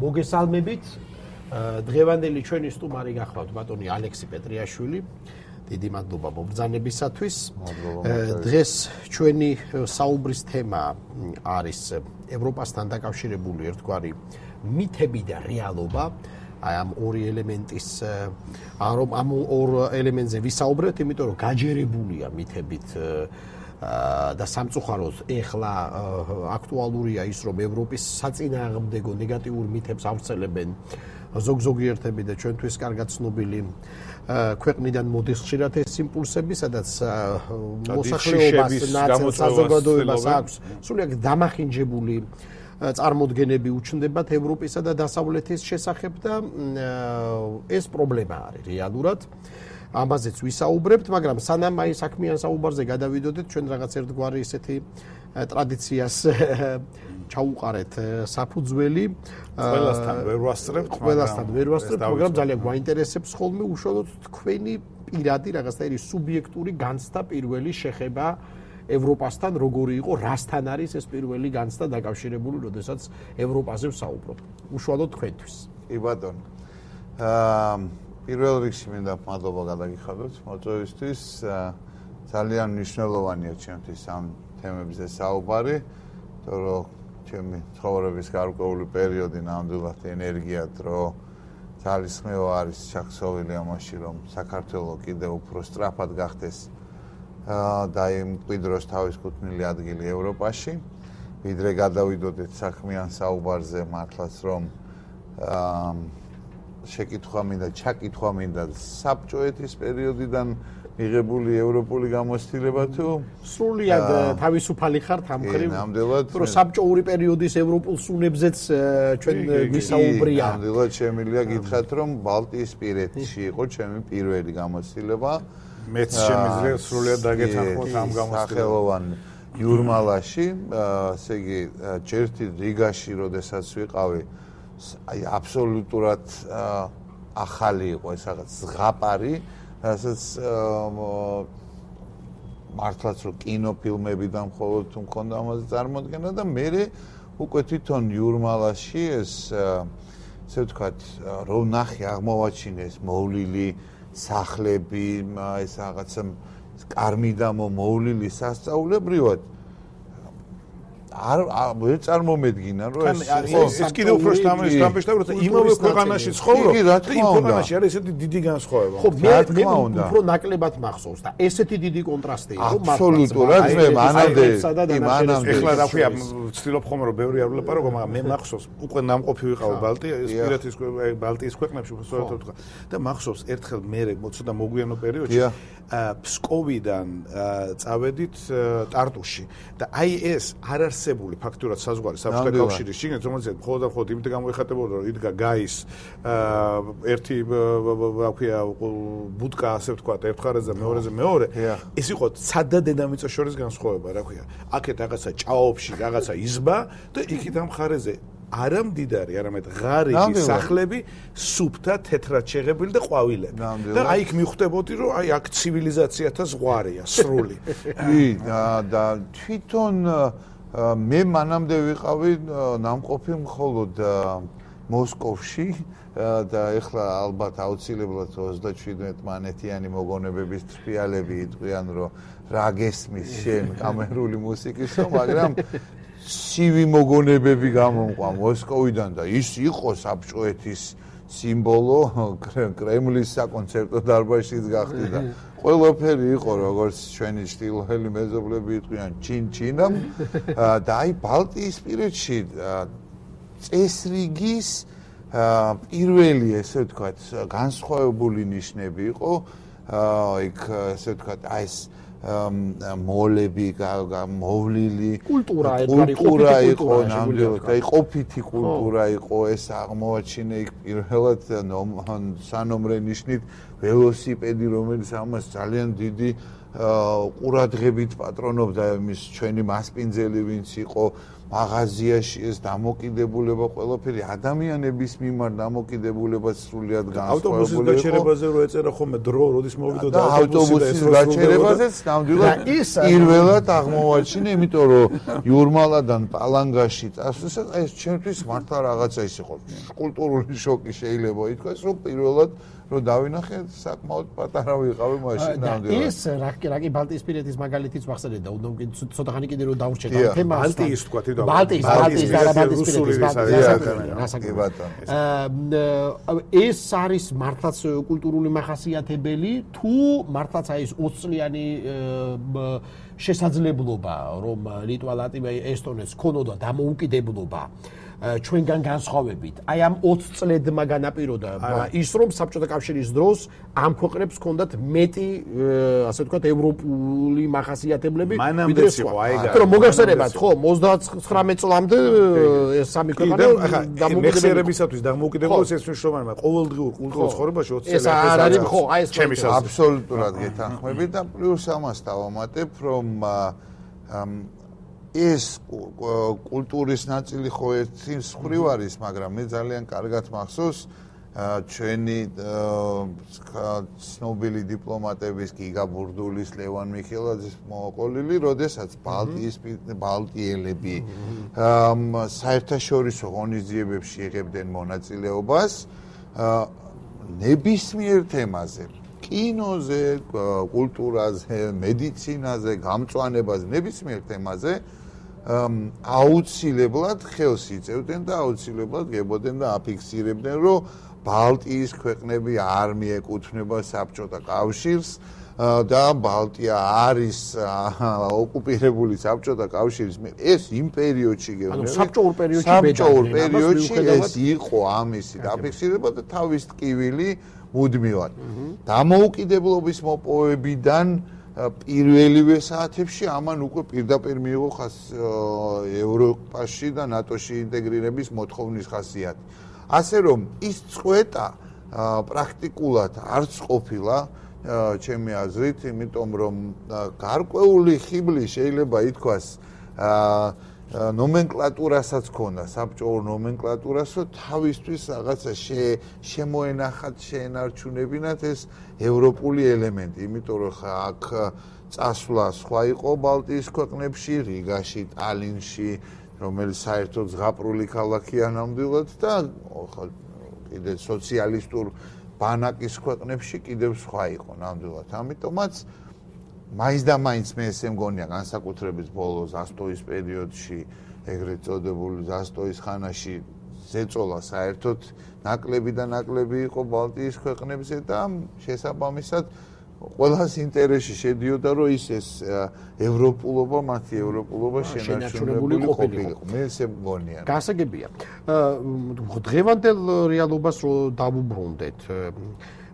მოგესალმებით. დღევანდელი ჩვენი სტუმარი გახლავთ ბატონი ალექსი პეტრიაშვილი. დიდი მადლობა მობრძანებისათვის. დღეს ჩვენი საუბრის თემა არის ევროპასთან დაკავშირებული ერთგვარი მითები და რეალობა. ამ ორი ელემენტის ამ ორ ელემენტზე ვისაუბრებთ, იმიტომ რომ გაჯერებულია მითებით და სამწუხაროდ ეხლა აქტუალურია ის, რომ ევროპის საწინააღმდეგო ნეგატიურ მითებს ავრცელებენ ზოგიერთები და ჩვენთვის კარგად ცნობილი ქვეყნიდან მოდის ხშირად ეს იმპულსები, სადაც მოსახლეობას საზოგადოებას აქვს სრულიად დამახინჯებული წარმოდგენები უჩნდებათ ევროპისა და დასავლეთის შესახებ და ეს პრობლემა არის რეალურად. ამაზეც ვისაუბრებთ, მაგრამ სანამ აი საქმიან საუბარზე გადავიდოდეთ, ჩვენ რაღაც ერთგვარი ისეთი ტრადიციას ჩაუყარეთ საფუძველი. ყველასთან ვერ ვასწრებთ, მაგრამ ძალიან გვაინტერესებს ხოლმე უშუალოდ თქვენი პირადი რაღაცნაირი სუბიექტური განცდა, პირველი შეხება ევროპასთან, როგორი იყო, რასთან არის ეს პირველი განცდა დაკავშირებული, როდესაც ევროპაზე ვსაუბრობ. უშუალოდ თქვენთვის. კი ბატონო. პირველ რიგში მინდა მადლობა გადაგიხადოთ მოწვევისთვის. ძალიან მნიშვნელოვანია ჩემთვის ამ თემებზე საუბარი, იმიტომ რომ ჩემი ცხოვრების გარკვეული პერიოდი ნამდვილად ენერგია, დრო, ძალისხმევა არის ჩახსოვილი ამაში, რომ საქართველოს კიდევ უფრო სწრაფად გახდეს და იმკვიდროს თავის კუთვნილი ადგილი ევროპაში. ვიდრე გადავიდოდეთ საქმიან საუბარზე, მართლაც რომ შეკითხვა მინდა საბჭოეთის პერიოდიდან მიღებული ევროპული გამოცდილება თუ სრულიად თავისუფალი ხართ ამ მხრივ, ნამდვილად რომ საბჭოური პერიოდის ევროპულ სუნებზეც ჩვენ ვისაუბრია. ნამდვილად შემიძლია გითხრათ, რომ ბალტიისპირეთში იყო ჩემი პირველი გამოცდილება. მეც შემიძლია სრულიად დაგეთანხმოთ ამ გამოცდილებას. სახელოვან იურმალაში, ესე იგი, ჯერთი რიგაში, როდესაც ვიყავი, აი აბსოლუტურად ახალი იყო ეს რაღაც ზღაპარი, რასაც მართლაც რომ კინოფილმებიდან მხოლოდ თუ მქონდა ამაზე წარმოდგენა და მე უკვე თვითონ იურმალაში ეს ესე ვთქვათ, რომ ნახე აღმოვაჩინეს მოვლილი სახლები, ეს რაღაცა კარმიდამო მოვლილი სასწაულებრივად ვერ წარმომედგინა, რომ ეს კიდევ უფრო შთამბეჭდა, რომ იმავე ქვეყანაში ცხოვრობ და იმ ქვეყანაში არის ესეთი დიდი განსხვავება. ხო, მე უფრო ნაკლებად მახსოვს და ესეთი დიდი კონტრასტია, რომ აბსოლუტურად მე მანამდე ეხლა რა ქვია, ვცდილობ ხომ რომ ბევრი არ ვლაპარაკო, მაგრამ მე მახსოვს უკვე ნამყოფი ვიყავ ბალტიის ქვეყნებში, უბრალოდ ვთქვა და მახსოვს ერთხელ მე ცოტა მოგვიანო პერიოდში ფსკოვიდან წავედით ტარტუში და აი ეს არ არსებული ფაქტურად საზღვარი საბჭოთა კავშირის შიგნით, რომელზეც მხოლოდ იმით გამოიხატებოდა, რომ იდგა გაის ერთი რა ქვია ბუდკა, ასე ვთქვათ, ერთ მხარეზე მეორეზე მეორე. ეს იყო ცად და დედამიწა შორის განსხვავება, რა ქვია. აქეთ რაღაცა ჭაობში რაღაცა იზბა და იქით ამ მხარეზე არა მდიდარი, არამედ ღარიბი სახლები, სუფთა, თეთრად შეღებილი და ყვავილები. და აი იქ მიხვდებოდი, რომ აი აქ ცივილიზაციათა ზღვარია, სრული. კი, და თვითონ მე მანამდე ვიყავი ნამყოფი მხოლოდ მოსკოვში და ეხლა ალბათ აუცილებლად 37 მანეთიანი მოგონებების თრიალები იტყვიან, რომ რა გესმის შენ კამერული მუსიკისო, მაგრამ ცივი მოგონებები გამომყვა მოსკოვიდან და ის იყო საბჭოეთის სიმბოლო, კრემლის საკონცერტო დარბაზშიც გახდი და ყველაფერი იყო, როგორც ჩვენი ჩtildeელი მეზობლები იტყვიან, ჩინჩინამ და აი ბალტიისპირეთში წესრიგის პირველი, ესე ვთქვათ, განსხვავებული ნიშნები იყო, იქ ესე ვთქვათ, აი ეს მოლები, მოვლილი კულტურა იყო, ნამდვილად, აი ყოფითი კულტურა იყო, ეს აღმოაჩინე იქ პირველად სანომრე ნიშნით ველოსიპედი, რომელიც ამას ძალიან დიდი ყურადღებით პატრონობდა, იმის ჩვენი მასპინძელი ვინც იყო მაღაზიაში ეს დამოკიდებულება ყველაფერი ადამიანების მიმართ დამოკიდებულება სრულიად განსხვავებული ავტობუსის გაჩერებაზე რო ეწერა ხოლმე დრო, როდის მოვიდოდა ავტობუსის გაჩერებაზეც ნამდვილად პირველად აღმოვაჩინე, იმიტომ რომ იურმალადან პალანგაში წასვლისას ეს ჩემთვის მართლა რაღაცა ის იყო კულტურული შოკი შეიძლება ითქვას, რომ პირველად რომ დავინახე საკმაოდ პატარა ვიყავი მაშინ ნამდვილად. ეს რა ბალტიისპირეთის მაგალითიც მახსენდა, უნდა ცოტა ხანი კიდე რომ დავრჩეთ ამ თემას. ბალტიის თქვა თვითონ. ბალტიის ეს არის მართლაც კულტურული მახასიათებელი თუ მართლაც აი ეს 20 წლიანი შესაძლებლობა რომ ლიტვა, ლატვია, ესტონეთს ქონოდა დამოუკიდებლობა ჩვენგან განსხვავებით. აი ამ 20 წლედმა განაპირობა ის რომ საბჭოთა კავშირის დროს ამ ქვეყნებს ჰქონდათ მეტი ასე ვთქვათ ევროპული მახასიათებლები ვიდრე სხვა. რომ მოგახსენებათ ხო 39 წლამდე ეს სამი ქვეყანა დამოუკიდებლობისათვის დამოუკიდებლობას ეს მნიშვნელოვანია. ყოველდღიურ კულტურულ ცხოვრებაში 20 წელი ეს არის ხო აი ეს ჩემი საზრით აბსოლუტურად გეთანხმებით და პლუს ამას დავამატებ რომ ეს კულტურის ნაწილი ხო ერთი მხრივ არის, მაგრამ მე ძალიან კარგად მახსოვს ჩვენი ცნობილი დიპლომატების გიგა ბურდულის, ლევან მიხელაძის მოყოლილი, როდესაც ბალტიელები საერთაშორისო ღონისძიებებში იღებდნენ მონაწილეობას ნებისმიერ თემაზე. კინოზე, კულტურაზე, მედიცინაზე, გამწვანებაზე, ნებისმიერ თემაზე აუცილებლად ხელს იწევდნენ და აუცილებლად გებოდნენ და აფიქსირებდნენ, რომ ბალტიის ქვეყნები არ მიეკუთვნება საბჭოთა კავშირს და ბალტია არის ოკუპირებული საბჭოთა კავშირის მიერ. ეს იმ პერიოდში გეუბნები. საბჭოურ პერიოდში ეს იყო ამისი დაფიქსირება და თავის ტკივილი მუდმივად. დამოუკიდებლობის მოპოვებიდან პირველივე საათებში ამან უკვე პირდაპირ მიიღო ევროპაში და ნატოში ინტეგრირების მოთხოვნის ხასიათი. ასე რომ ის წვეტა პრაქტიკულად არც ყოფილა ჩემი აზრით, იმიტომ რომ გარკვეული ხიბლი შეიძლება ითქვას ნომენკლატურასაც ქონდა, საბჭოურ ნომენკლატურას, რომ თავისთვის რაღაცა შემოენახათ, შეენარჩუნებინათ ეს ევროპული ელემენტი, იმიტომ რომ აქ წასვლა სხვა იყო ბალტიის ქვეყნებში, რიგაში, ტალინში, რომელიც საერთოდ ზღაპრული ქალაქია ნამდვილად და კიდე სოციალისტურ ბანაკის ქვეყნებში კიდევ სხვა იყო ნამდვილად. ამიტომაც მაინც და მაინც მე ესე მგონია განსაკუთრებით ბოლო ზასტოის პერიოდში, ეგრეთ წოდებული ზასტოის ხანაში ზეწოლა საერთოდ ნაკლები და ნაკლები იყო ბალტიის ქვეყნებზე და შესაბამისად ყველას ინტერესში შედიოდა, რომ ეს ევროპულობა, მათი ევროპულობა შენარჩუნებული ყოფილიყო. მე ესე მგონია. გასაგებია. დღევანდელ რეალობას რო დავუბრუნდეთ,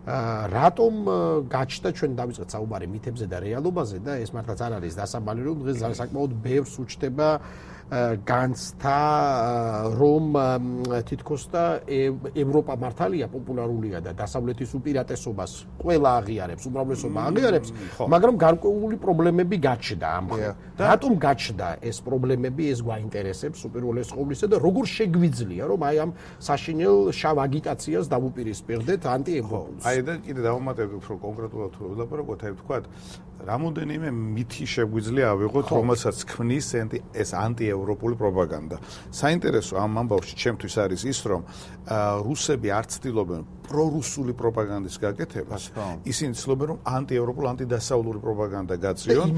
რატომ გაჩნდა ჩვენ დავიწყეთ საუბარი მითებზე და რეალობაზე და ეს მართლაც არ არის დასაბალი, რომ დღეს საკმაოდ ბევრს უჩნდება განცდა, რომ თითქოს და ევროპა მართალია პოპულარულია და დასავლეთის უპირატესობას ყველა აღიარებს, უმრავლესობა აღიარებს, მაგრამ გარკვეული პრობლემები გაჩნდა ამ ხელ. რატომ გაჩნდა ეს პრობლემები, ეს გვაინტერესებს უპირველეს ყოვლისა და როგორ შეგვიძლია, რომ აი ამ საშინელ შავ აგიტაციას დავუპირისპირდეთ ანტიევროპულს. აი და კიდე დავუმატებთ უფრო კონკრეტულად თუ ვლაპარაკობთ, აი ვთქვათ, რამოდენიმე მითი შეგვიძლია ავიღოთ, რომელსაც ქმნის ეს ანტიევროპული პროპაგანდა. საინტერესო ამ ამბავში ჩემთვის არის ის, რომ რუსები არ ცდილობენ პრორუსული პროპაგანდის გაკეთებას, ისინი ცდილობენ, რომ ანტიევროპულ, ანტიდასავლური პროპაგანდა გაწიონ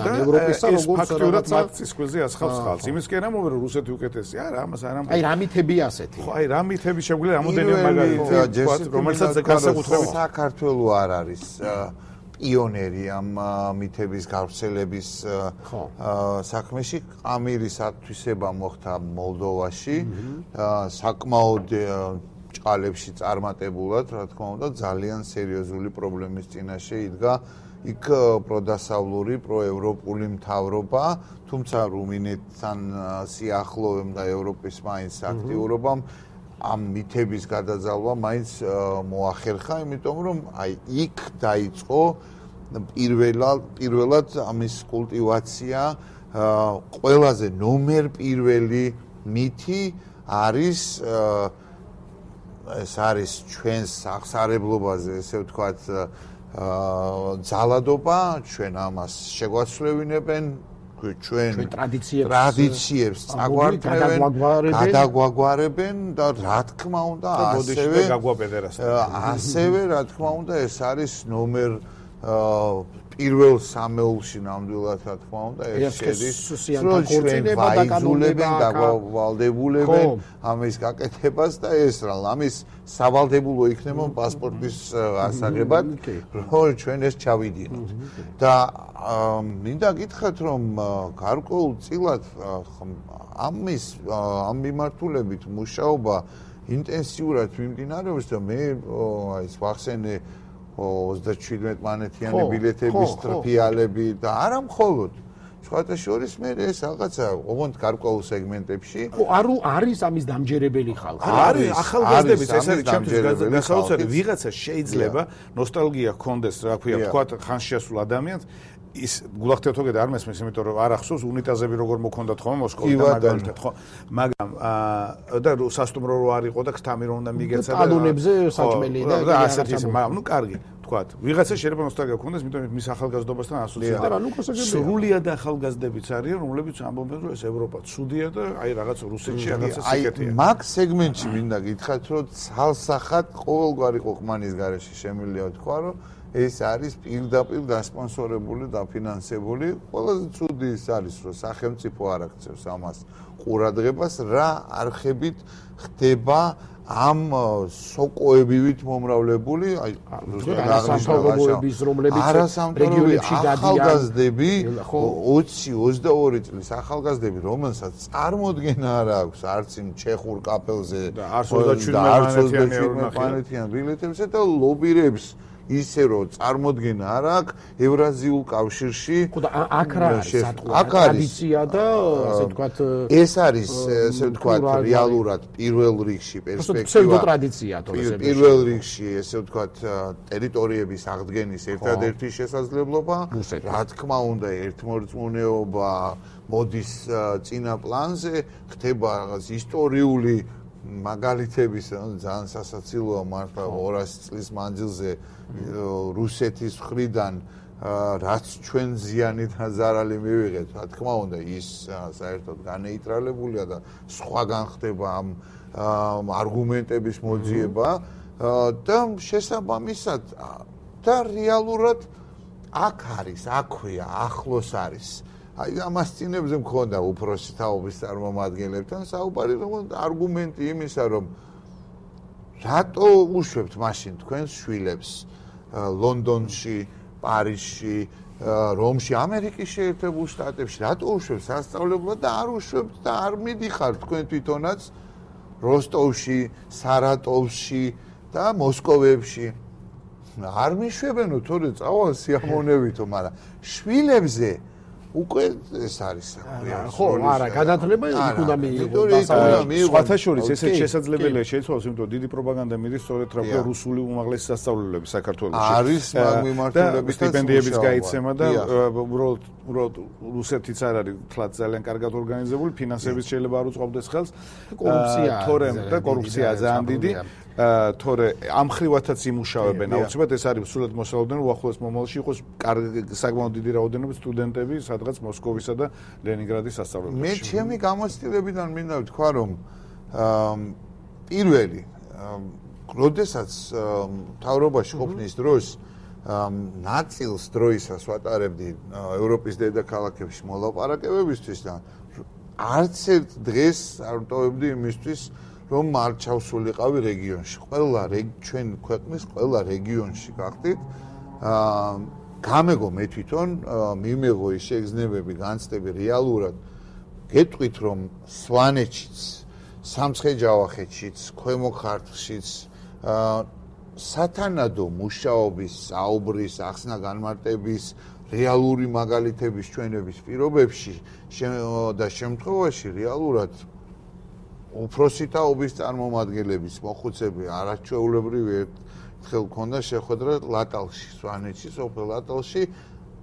და ევროპისა როგორც ფაქტურად მათთვის კვეზე ასხავს ხალხს. იმის კი არ ამბობენ, რომ რუსეთი უკეთესია, არა, ამას არ ამბობენ. აი რა მითები ასეთი. ხო, აი რა მითები შეგვიძლია რამოდენიმე მაგალითი, რომელსაც განსაკუთრებით საქართველო არ არის პიონერი ამ მითების გავრცელების საქმეში. ამირის ათვისება მოხდა მოლდოვაში, საკმაოდ ჭყალებში წარმატებულად, რა თქმა უნდა, ძალიან სერიოზული პრობლემის წინაშე იდგა იქ პროდასავლური, პროევროპული მთავრობა, თუმცა რუმინეთთან სიახლოვემ და ევროპის მაინც აქტიურობამ ამ მითების გადაძალვა მაინც მოახერხა, იმიტომ რომ აი იქ დაიწყო პირველად ამის კულტივაცია ყველაზე ნომერ პირველი მითი არის ეს არის ჩვენს აღსარებლობაზე, ესე ვთქვათ, ძალადობა, ჩვენ ამას შეგვაცვლევინებენ, ჩვენ ტრადიციებს წაგვართავენ, გადაგვაგვარებენ და რა თქმა უნდა, ასევე რა თქმა უნდა, ეს არის ნომერ პირველ სამეულში ნამდვილად რა თქმა უნდა ეს შედის რომ ჩვენ ვაიზულებენ და ვალდებულებენ ამის გაკეთებას და ეს რა ამის სავალდებულო იქნება პასპორტის ასაღებად რომ ჩვენ ეს ჩავიდინოთ და მინდა გითხრათ რომ გარკვეულწილად ამ მიმართულებით მუშაობა ინტენსიურად მიმდინარეობს და მე ის ვახსენე 37 მანეთიანი ბილეთების ტრფიალები და არა მხოლოდ სხვათა შორის მე ეს რაღაცა ოღონდ გარკვეულ სეგმენტებში ხო არის ამის დამჯერებელი ხალხი არის ახალგაზრდების ეს არის ჩემთვის გასაოცარი ვიღაცა შეიძლება ნოსტალგია ჰქონდეს რა ქვია თქვათ ხანშიასულ ადამიანს ის გულახდეთოგეთ არ მესმის იმიტომ რომ არ ახსოვს უნიტაზები როგორ მოქონდათ ხოლმე მოსკოვში და მაგალითად ხო მაგრამ და სასტუმრო რო არ იყო და ქთამი რომ უნდა მიგეცა და ტალონებზე საჭმელი და ასეთი ისე მაგრამ ნუ კარგი თქვათ ვიღაცა შეიძლება ნოსტალგია გქონდეს იმიტომ მის ახალგაზრდობასთან ასოციირდება სრულიად ახალგაზრდებიც არიან რომლებიც ამბობენ რომ ეს ევროპა ცუდია და აი რაღაც რუსეთში რაღაცა სიკეთეა მაგ სეგმენტში მინდა გითხრათ რომ ცალსახად ყოველგვარი ყოყმანის გარეშე შემიძლია თქვა რომ ეს არის პირდაპირ დასპონსორებული და დაფინანსებული. ყველაზე ცუდი ის არის, რომ სახელმწიფო არ აქცევს ამას ყურადღებას, რა არხებით ხდება ამ სოკოებივით მომრავლებული, აი არასამთავრობოების, რომლებიც რეგიონებში დადიან, ახალგაზრდები 20-22 წლის ახალგაზრდები, რომელსაც წარმოდგენა არ აქვს არც იმ ჩეხურ კაპელზე და არც 27 მანეთიან ბილეთებზე და ლობირებს ისე რომ წარმოდგენა არ აქვს ევრაზიულ კავშირში ხო და აქ რა არის ტრადიცია და ასე ვთქვათ ეს არის ასე ვთქვათ რეალურად პირველ რიგში პერსპექტივა ტრადიცია თორე პირველ რიგში ესე ვთქვათ ტერიტორიების აღდგენის ერთადერთი შესაძლებლობა რა თქმა უნდა ერთმორწმუნეობა მოდის წინა პლანზე ხდება რაღაც ისტორიული მაგალითების ძალიან სასაცილოა მართლა 200 წლის მანძილზე რუსეთის მხრიდან რაც ჩვენ ზიანი და ზარალი მივიღეთ, რა თქმა უნდა, ის საერთოდ განეიტრალებულია და სხვაგან ხდება ამ არგუმენტების მოძიება და შესაბამისად და რეალურად აქ არის, აქვეა, ახლოს არის. აი ამას წინებზე მქონდა უფროსი თაობის წარმომადგენლებთან საუბარი, რომ არგუმენტი იმისა, რომ რატო უშვებთ მაშინ თქვენს შვილებს ლონდონში, პარიზში, რომში, ამერიკის შეერთებულ შტატებში, რატო უშვებთ სასწავლებლად და არ უშვებთ და არ მიდიხართ თქვენ თვითონაც როსტოვში, სარატოვში და მოსკოვებში. არ მიშვებენო, თორე წავალ სიამოვნებითო, მაგრამ შვილებზე უკვე ეს არის ხო არა განათლება იქ უნდა მიიღოს სხვათა შორის ესეც შესაძლებელია შეიცვალოს იმიტომ რომ დიდი პროპაგანდა მიდის სწორედ რა ქვია რუსული უმაღლესი სასწავლებლები საქართველოში არის მაგ მიმართულებითაც სტიპენდიების გაიცემა და უბრალოდ რუსეთიც არ არის თლაც ძალიან კარგად ორგანიზებული ფინანსების შეიძლება არ უწყობდეს ხელს კორუფცია ძალიან დიდი თორე ამ ხრივათაც იმუშავებენ აუცილებლად ეს არის სულად მოსალოდნელი უახლოეს მომავალში იყოს საკმაოდ დიდი რაოდენობით სტუდენტები სადღაც მოსკოვისა და ლენინგრადის სასწავლებელში მე ჩემი გამოცდილებიდან მინდა ვთქვა რომ პირველი როდესაც მთავრობაში ყოფნის დროს ნაწილს დროისას ვატარებდი ევროპის დედაქალაქებში მოლაპარაკებებისთვის და არც ერთ დღეს არ ვტოვებდი იმისთვის რომ არ ჩავსულიყავი რეგიონში. ყველა ჩვენ ქვეყნის ყველა რეგიონში გახდით. გამეგო მე თვითონ მიმეღო ის შეგრძნებები, განცდები რეალურად გეტყვით რომ სვანეთშიც, სამცხე-ჯავახეთშიც, ქვემო ქართლშიც სათანადო მუშაობის, საუბრის, ახსნა განმარტების რეალური მაგალითების ჩვენების პირობებში და შემთხვევაში რეალურად უფროსი თაობის წარმომადგენლების მოხუცები არაჩვეულებრივი ერთხელ ქონდა შეხვედრა ლატალში, სვანეთში, სოფელ ლატალში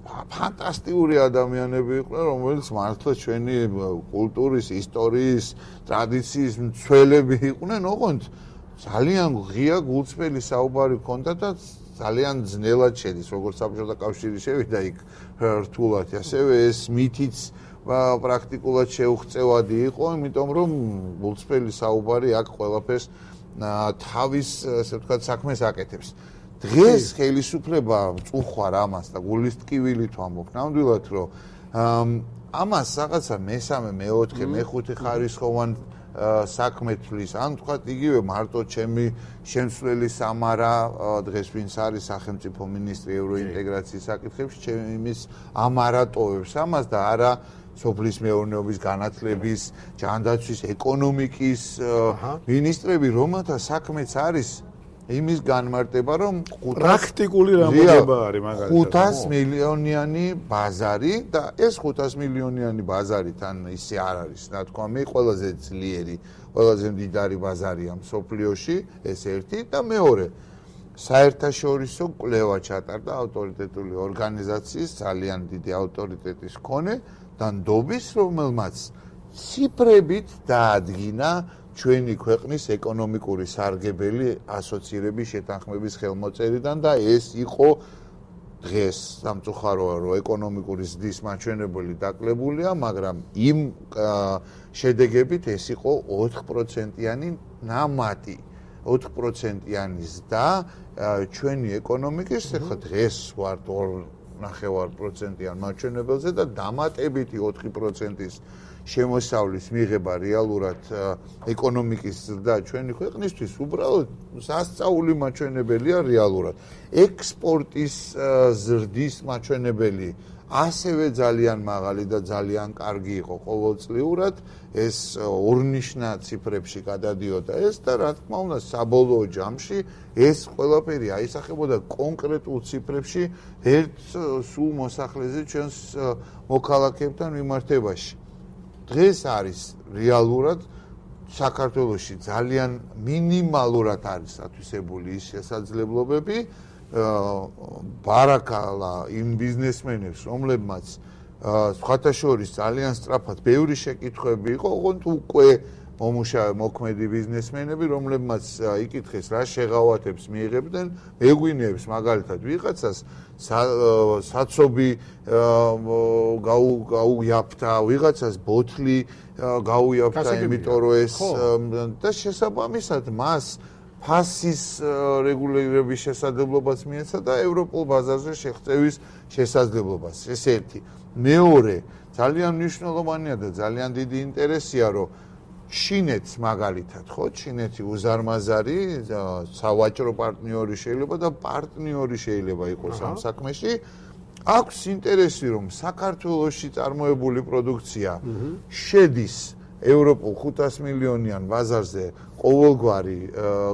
ფანტასტიკური ადამიანები იყვნენ, რომელიც მართლა ჩვენი კულტურის, ისტორიის, ტრადიციის მცველები იყვნენ, ოღონდ ძალიან ღია გულწრფელი საუბარი ჰქონდა და ძალიან ძნელად შედის, როგორც საბჭოთა კავშირი შევიდა იქ რთულად, ასევე ეს მითიც პრაქტიკულად შეუღწევადი იყო, იმიტომ რომ გულწრფელი საუბარი აქ ყველაფერს თავის, ასე ვთქვათ, საქმეს აკეთებს. დღეს ხელისუფლება წუხარ ამას და გულის ტკივილით ვამბობ, ნამდვილად რომ ამას რაღაცა მესამე, მეოთხე, მეხუთე ხარისხოვან საქმე თვლის, ან თქვათ იგივე მარტო ჩემი შემსვლელი სამარა დღეს ვინც არის სახელმწიფო მინისტრი ევროინტეგრაციის საკითხებში, ჩემის ამარატოვებს ამას და არა სოფლის მეურნეობის განათლების, ჯანდაცვის, ეკონომიკის მინისტრები, რომელთა საქმეც არის იმის განმარტება, რომ პრაქტიკული რამოდება არის მაგალითად 500 მილიონიანი ბაზარი და ეს 500 მილიონიანი ბაზარი თან ისე არ არის, ნათქვამი, ყველაზე ძლიერი, ყველაზე მდიდარი ბაზარია მსოფლიოში, ეს ერთი და მეორე საერთაშორისო კვლევა ჩატარდა ავტორიტეტული ორგანიზაციის ძალიან დიდი ავტორიტეტის მქონე და ნდობის, რომელმაც ციფრებით დაადგინა ჩვენი ქვეყნის ეკონომიკური სარგებელი ასოცირების შეთანხმების ხელმოწერიდან და ეს იყო დღეს სამწუხაროა რომ ეკონომიკური ზრდის მაჩვენებელი დაკლებულია, მაგრამ იმ შედეგებით ეს იყო 4%-იანი ნამატი, 4%-იანი ზრდა ჩვენი ეკონომიკის, ახლა დღეს ვართ 2.5%-იან მაჩვენებელზე და დამატებითი 4%-ის შემოსავლის მიღება რეალურად ეკონომიკის ზრდა ჩვენი ქვეყნისთვის უბრალოდ სასწაული მაჩვენებელია რეალურად. ექსპორტის ზრდის მაჩვენებელი ასევე ძალიან მაღალი და ძალიან კარგი იყო ყოველწლიურად, ეს ორნიშნა ციფრებში გადადიოდა ეს და რა თქმა უნდა საბოლოო ჯამში ეს ყველაფერი აისახებოდა კონკრეტულ ციფრებში ერთ სულ მოსახლეზე ჩვენს მოქალაქეებთან მიმართებაში. დღეს არის რეალურად საქართველოში ძალიან მინიმალურად არის ათვისებული ის შესაძლებლობები ბარაკალა იმ ბიზნესმენებს, რომლებმაც სხვათა შორის ძალიან სწრაფად ბევრი შეკითხვები იყო, ოღონდ უკვე მოქმედი ბიზნესმენები, რომლებმაც იკითხეს რა შეღავათებს მიიღებდნენ, მეგვინეებს მაგალითად ვიღაცას საცობი გაუიაფთა, ვიღაცას ბოთლი გაუიაფთა, იმიტომ რომ ეს და შესაბამისად მას ფასის რეგულირების შესაძლებლობას მიეცა და ევროპულ ბაზარზე შეღწევის შესაძლებლობას. ეს ერთი. მეორე, ძალიან მნიშვნელოვანია და ძალიან დიდი ინტერესია, რომ ჩინეთს მაგალითად, ხო, ჩინეთი უზარმაზარი სავაჭრო პარტნიორი შეიძლება და პარტნიორი შეიძლება იყოს ამ საქმეში. აქვს ინტერესი, რომ საქართველოში წარმოებული პროდუქცია შედის ევროპულ 500 მილიონიან ბაზარზე ყოველგვარი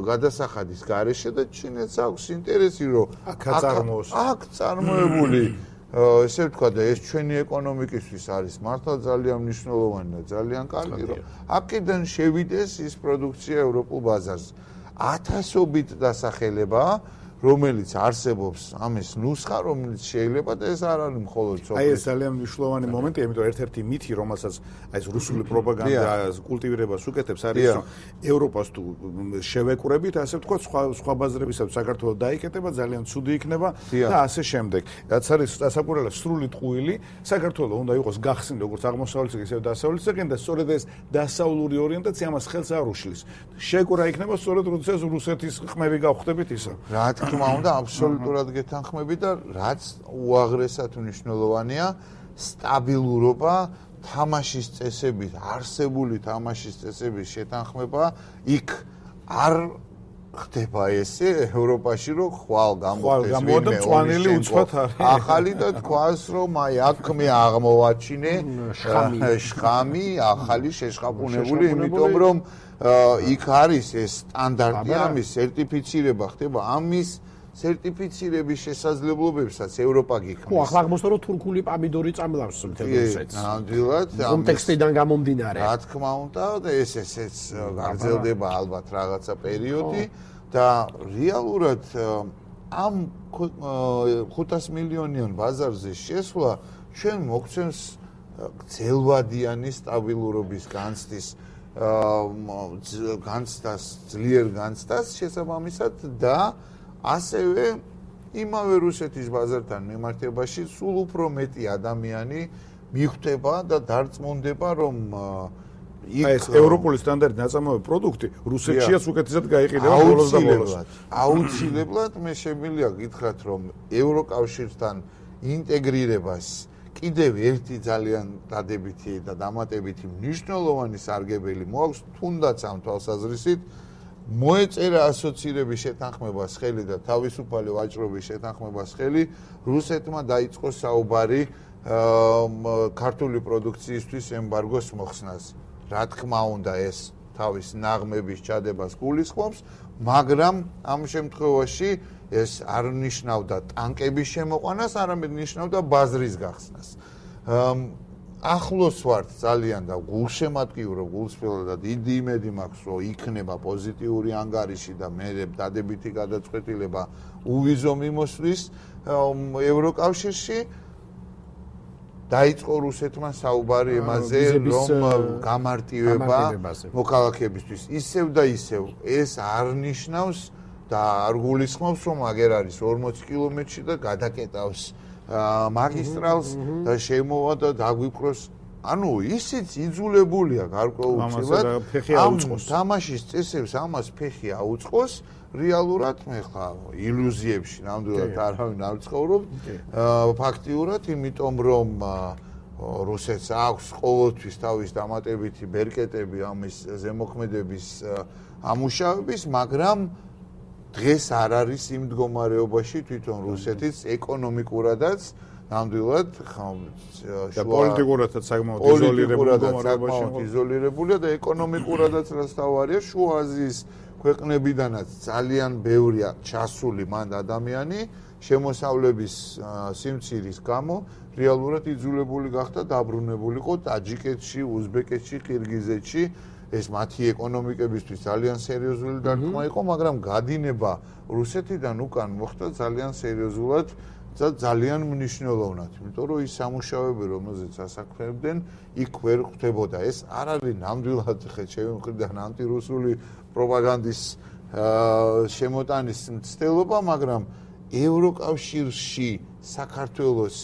გადასახადის გარეშე და ჩინეთს აქვს ინტერესი, რომ აქ წარმოებული ესე ვთქვა და ეს ჩვენი ეკონომიკისთვის არის მართლა ძალიან მნიშვნელოვანი და ძალიან კარგი, რომ აქედან შევიდეს ის პროდუქცია ევროპულ ბაზარზე. ათასობით დასახელებაა, რომელიც არსებობს ამის ნუსხა, რომელიც შეიძლება და ეს არ არის მხოლოდ აი ეს ძალიან მნიშვნელოვანი მომენტია, იმიტომ ერთ-ერთი მითი, რომელსაც აი ეს რუსული პროპაგანდა კულტივირებას უკეთებს, არის რომ ევროპას თუ შევეკვრებით, ასე ვთქვათ, სხვა ბაზრებისათვის საქართველოს დაიკეტება, ძალიან ცუდი იქნება და ასე შემდეგ. რაც არის დასაყურებლად სრული ტყუილი, საქართველოს უნდა იყოს გახსნილი როგორც აღმოსავლეთ ისე დასავლეთ ზეგან და სწორედ ეს დასავლური ორიენტაცია ამას ხელს არ უშლის. შეკვრა იქნება სწორედ როდესაც რუსეთის ხმები გავხდებით ისა. თქმა უნდა, აბსოლუტურად გეთანხმები და რაც უაღრესად მნიშვნელოვანია, სტაბილურობა, თამაშის წესებით, არსებული თამაშის წესების შეთანხმება, იქ არ ხდება ესე ევროპაში, რომ ხვალ გამოდის ვინმე მწვანილი უცბად არის. ახალი და თქვას, რომ აი აქ მე აღმოვაჩინე შხამი, ახალი შეშხაპუნებული, იმიტომ რომ იქ არის ეს სტანდარტი, ამის სერტიფიცირება ხდება, ამის სერტიფიცირების შესაძლებლობებსაც ევროპა გიქმნის. ხო, ახლა აღმოსდა რომ თურქული პამიდორი წამლავს მთელ რუსეთს. ნამდვილად, კონტექსტიდან გამომდინარე. რა თქმა უნდა, და ესეც გაგრძელდება ალბათ რაღაცა პერიოდი და რეალურად ამ 500 მილიონიან ბაზარზე შესვლა ჩვენ მოგცემს ძელვადიანი სტაბილურობის განცდის განცდას, ძლიერ განცდას შესაბამისად და ასევე იმავე რუსეთის ბაზართან მიმართებაში სულ უფრო მეტი ადამიანი მიხვდება და დარწმუნდება, რომ ეს ევროპული სტანდარტი ნაწარმოები პროდუქტი რუსეთშიაც უკეთესად გაიყიდა ბოლოს და ბოლოს. აუცილებლად მე შემიძლია გითხრათ, რომ ევროკავშირთან ინტეგრირებას კიდევ ერთი ძალიან დადებითი და დამატებითი მნიშვნელოვანი სარგებელი მოაქვს, თუნდაც ამ თვალსაზრისით მოეწერა ასოცირების შეთანხმებას ხელი და თავისუფალი ვაჭრობის შეთანხმებას ხელი, რუსეთმა დაიწყო საუბარი ქართული პროდუქციისთვის ემბარგოს მოხსნას. რა თქმა უნდა, ეს თავის ნაღმების ჩადებას გულისხმობს, მაგრამ ამ შემთხვევაში ეს არ ნიშნავდა ტანკების შემოყვანას, არამედ ნიშნავდა ბაზრის გახსნას. ახლოს ვართ ძალიან და გულშემატკივრობ გულსხმელად და დიდი იმედი მაქვს, რომ იქნება პოზიტიური ანგარიში და მე დადებითი გადაწყვეტილება უვიზო მიმოსვლის ევროკავშირში. დაიწყო რუსეთმა საუბარი იმაზე, რომ გამარტივება მოქალაქეებისთვის ისევ და ისევ ეს არ ნიშნავს და არ გულისხმობს, რომ აგერ არის 40 კილომეტრში და გადაკეტავს მაგისტრალს და შემოვა და დაგვიკვიროს. ანუ ისიც იძულებულია გარკვეულწილად ამ თამაშის წესებს ამას ფეხი აუწყოს. რეალურად მე ხა ილუზიებში ნამდვილად არავინ არ ცხოვრობ. ფაქტიურად, იმიტომ რომ რუსეთს აქვს ყოველთვის თავის დამატებითი ბერკეტები ამის ზემოქმედების ამუშავების, მაგრამ დღეს არ არის იმ მდგომარეობაში თვითონ რუსეთის ეკონომიკურადაც ნამდვილად და პოლიტიკურადაც საკმაოდ იზოლირებულია და ეკონომიკურადაც რაც თავარია შუა აზიის ქვეყნებიდანაც ძალიან ბევრია ჩასული მან ადამიანი შემოსავლების სიმცირის გამო რეალურად იძულებული გახდა დაბრუნებულიყო ტაჯიკეთში, უზბეკეთში, ყირგიზეთში. ეს მათი ეკონომიკებისთვის ძალიან სერიოზული დარტყმა იყო, მაგრამ გადინება რუსეთიდან უკან მოხდა ძალიან სერიოზულად და ძალიან მნიშვნელოვნად. იმიტომ რომ ის სამუშაოები, რომელზეც ასაქმებდნენ, იქ ვერ ხვდებოდა. ეს არ არის ნამდვილად ჩემი მხრიდან ანტირუსული პროპაგანდის შემოტანის მცდელობა, მაგრამ ევროკავშირში საქართველოს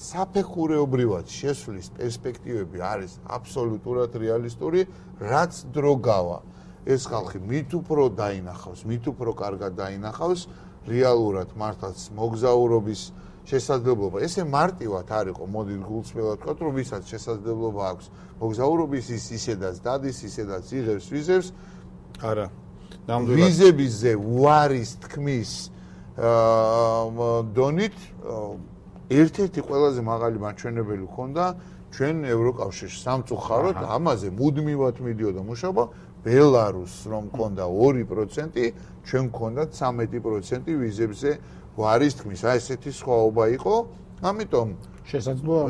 საფეხურეობრივად შესვლის პერსპექტივები არის აბსოლუტურად რეალისტური, რაც დრო გავა. ეს ხალხი მით უფრო დაინახავს, მით უფრო კარგად დაინახავს რეალურად მართლაც მოგზაურობის შესაძლებლობა. ესე მარტივად არ იყო, მოდით გულწრფელად ვთქვათ, რომ ვისაც შესაძლებლობა აქვს მოგზაურობის, ის ისედაც დადის, ისედაც იღებს ვიზებს. არა, ნამდვილად ვიზებიზე უარის თქმის დონით ერთ-ერთი ყველაზე მაღალი მაჩვენებელი ჰქონდა ჩვენ ევროკავშირში სამწუხაროდ ამაზე მუდმივად მიდიოდა მუშაობა. ბელარუსს რომ ჰქონდა 2%, ჩვენ ჰქონდა 13% ვიზებზე უარის თქმის. აი ესეთი სხვაობა იყო. ამიტომ შესაძლოა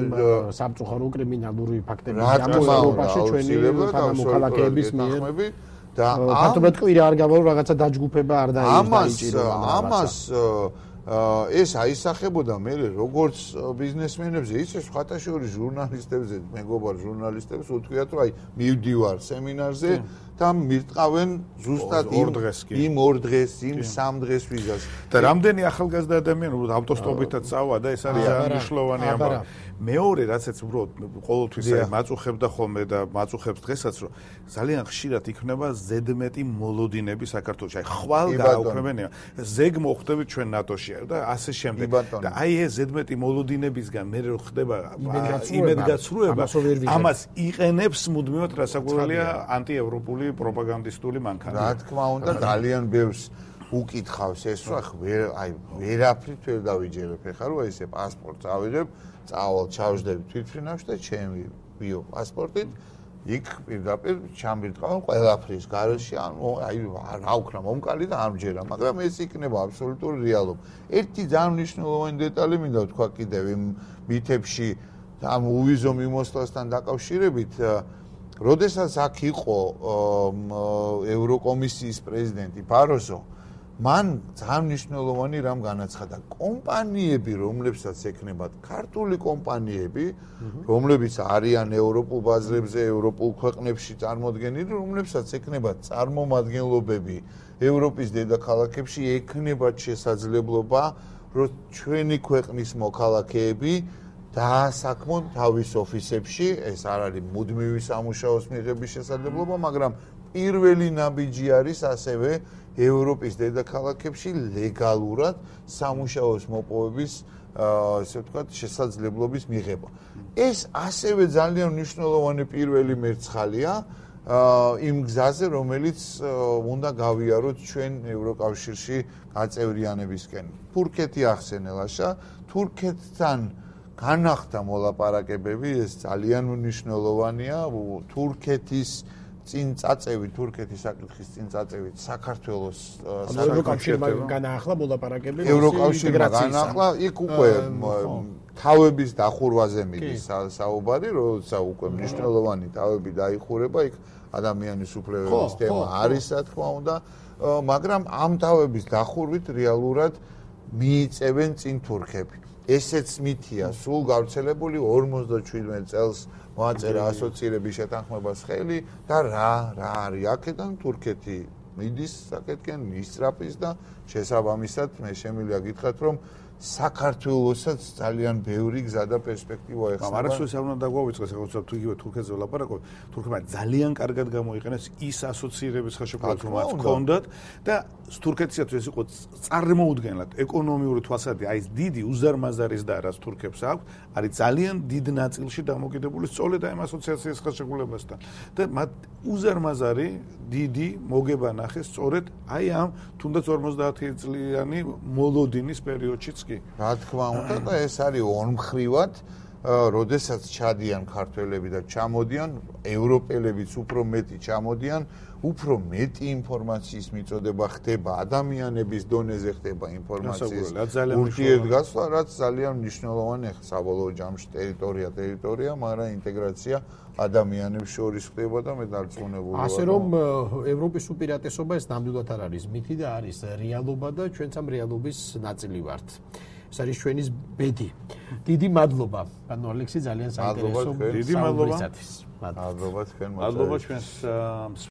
სამწუხარო კრიმინალური ფაქტები გამოსაუბრებაში ჩვენი თანამოქალაქეების მიერ და ფაქტობრივად კვირა არ გავალო რაღაცა დაჯგუფება არ დაიჭირო ამას ეს აისახებოდა მე როგორც ბიზნესმენებზე, ისე სხვათა შორის ჟურნალისტებზე, მეგობარ ჟურნალისტებს უთქვიათ, რომ აი მივდივარ სემინარზე და მირტყავენ ზუსტად იმ 2 დღეს, იმ 3 დღეს ვიზას. და რამდენი ახალგაზრდა ადამიანი უბრალოდ ავტოსტოპითაც წავა და ეს არის მნიშვნელოვანი ამბავი. მეორე რაცაც უბრალოდ ყოველთვის მაწუხებდა ხოლმე და მაწუხებს დღესაც, რომ ძალიან ხშირად იქნება ზედმეტი მოლოდინები საქართველოში. აი ხვალ გააუქმებენია. ზეგ მოხვდებით ჩვენ ნატოში და ასე შემდეგ. და აი ეს ზედმეტი მოლოდინებისგან მე რო ხდება იმედგაცრუება, ამას იყენებს მუდმივად რასაკვირველია ანტიევროპული პროპაგანდისტული მანქანა. რა თქმა უნდა, ძალიან ბევრს უკითხავს ეს, რომ აი ვერაფრით ვერ დავიჯერებ. ეხლა რომ ესე პასპორტს ავიღებ, წავალ ჩავждები თვითფრინავში და ჩემი ბიო პასპორტით იქ პირდაპირ ჩამირტყავენ ყველაფრის გარეშე, ანუ აი რა უქნა მომკალი და არ მჯერა, მაგრამ ეს იქნება აბსოლუტური რეალობა. ერთი ძალიან მნიშვნელოვანი დეტალი მინდა ვთქვა კიდევ იმ მითებში ამ უვიზო მიმოსვლასთან დაკავშირებით, როდესაც აქ იყო ევროკომისიის პრეზიდენტი ბაროზო, მან ძალიან მნიშვნელოვანი რამ განაცხადა. კომპანიები, რომლებსაც ექნებათ ქართული კომპანიები, რომლებიც არიან ევროპულ ბაზრებზე, ევროპულ ქვეყნებში წარმოდგენილი, რომლებსაც ექნებათ წარმომადგენლობები ევროპის დედაქალაქებში, ექნებათ შესაძლებლობა, რომ ჩვენი ქვეყნის მოქალაქეები დაასაქმონ თავის ოფისებში, ეს არ არის მუდმივი სამუშაოს მიღების შესაძლებლობა, მაგრამ პირველი ნაბიჯი არის ასევე ევროპის დედაქალაქებში ლეგალურად სამუშაოს მოპოვების, ასე ვთქვათ, შესაძლებლობის მიღება. ეს ასევე ძალიან მნიშვნელოვანი პირველი მერცხალია იმ გზაზე, რომელიც უნდა გავიაროთ ჩვენ ევროკავშირში გაწევრიანებისკენ. თურქეთი ახსენელაშა, თურქეთთან განახდა მოლაპარაკებები, ეს ძალიან მნიშვნელოვანია. თურქეთის წინწაწევი, თურქეთის საკითხის წინწაწევი საქართველოს ევროკავშირთან განაახლა მოლაპარაკებები ინტეგრაციის. იქ უკვე თავების დახურვაზე მიდის საუბარი, როცა უკვე მნიშვნელოვანი თავები დაიხურება, იქ ადამიანის უფლებების თემა არის, რა თქმა უნდა, მაგრამ ამ თავების დახურვით რეალურად მიიწევენ წინ თურქები. ესეც მითია, სულ გავრცელებული 57 წელს მოაწერა ასოცირების შეთანხმებას ხელი და რა არის აქედან თურქეთი მიდის საკეთკენ ისწრაფის და შესაბამისად მე შემიძლია გითხრათ, რომ საქართველოსაც ძალიან ბევრი გზა და პერსპექტივა ეხება. არასოდეს არ უნდა დაგვავიწყდეს, როცა თუ იგივე თურქეთზე ვლაპარაკობთ, თურქებმა ძალიან კარგად გამოიყენეს ის ასოცირების ხელშეკრულება, რომ მათ ჰქონდათ და თურქეთსაც ეს იყო წარმოუდგენლად ეკონომიური თვალსაზრისით, აი ეს დიდი უზარმაზარის და რაც თურქებს აქვს, არის ძალიან დიდ ნაწილში დამოკიდებული სწორედ ამ ასოციაციის ხელშეკრულებასთან. და მათ უზარმაზარი დიდი მოგება ნახეს სწორედ აი ამ თუნდაც 50 წლიანი მოლოდინის პერიოდშიც კი. რა თქმა უნდა და ეს არის ორმხრივად, როდესაც ჩადიან ქართველები და ჩამოდიან, ევროპელებიც უფრო მეტი ჩამოდიან, უფრო მეტი ინფორმაციის მიწოდება ხდება, ადამიანების დონეზე ხდება ინფორმაციის ურთიერთგაცვლა, რაც ძალიან მნიშვნელოვანია საბოლოო ჯამში ტერიტორია, მაგრამ ინტეგრაცია ადამიანებს შორის ხდება და მე დარწმუნებული ვარ. ასე რომ ევროპის უპირატესობა ეს ნამდვილად არ არის მითი და არის რეალობა და ჩვენც ამ რეალობის ნაწილი ვართ. ეს არის ჩვენი ბედი. დიდი მადლობა, პანო ალექსი, ძალიან საინტერესო. დიდი მადლობა. მადლობა თქვენ. მადლობა ჩვენს